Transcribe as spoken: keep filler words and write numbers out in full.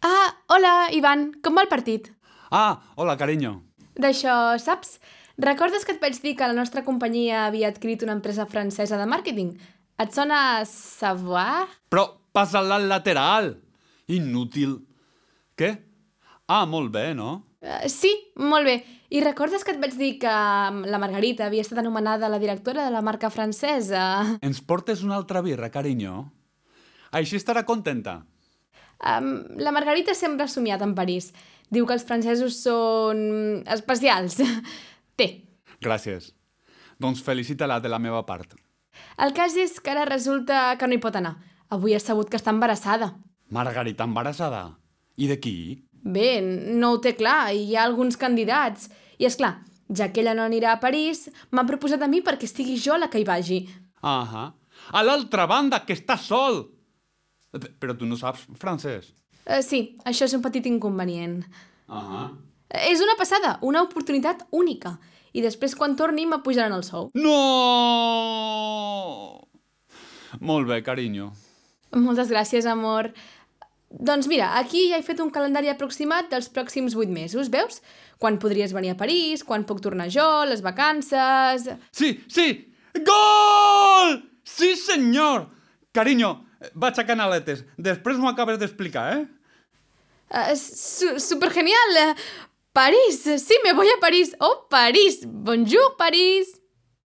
Ah, hola, Ivan, com va el partit? Ah, hola, carinyo. D'això, saps? Recordes que et vaig dir que la nostra companyia havia adquirit una empresa francesa de màrqueting? Et sona Savoir? Però passa-la al lateral. Inútil. Què? Ah, molt bé, no? Uh, sí, molt bé. I recordes que et vaig dir que mm, la Margarita havia estat anomenada la directora de la marca francesa? Ens portes una altra birra, carinyo? Així estarà contenta. Um, la Margarita sempre ha somiat en París. Diu que els francesos són especials. Té. Gràcies. Doncs felicita-la de la meva part. El cas és que ara resulta que no hi pot anar. Avui ha sabut que està embarassada. Margarita embarassada. I de qui? Bé, no ho té clar, hi ha alguns candidats. I és clar, ja que ella no anirà a París, m'ha proposat a mi perquè estigui jo la que hi vagi. Ahà. A l'altra banda, que està sol! P- Però tu no saps francès. Uh, sí, això és un petit inconvenient. Ahà. És una passada, una oportunitat única. I després, quan torni, m'apujaran el sou. No! Molt bé, carinyo. Moltes gràcies, amor. Doncs mira, aquí ja he fet un calendari aproximat dels pròxims vuit mesos, veus? Quan podries venir a París, quan puc tornar jo, les vacances... Sí, sí! Gol! Sí, senyor! Carinyo, vaig a Canaletes. Després m'ho acabes d'explicar, eh? Uh, su supergenial! Uh, París! Sí, me voy a París! Oh, París! Bonjour, París!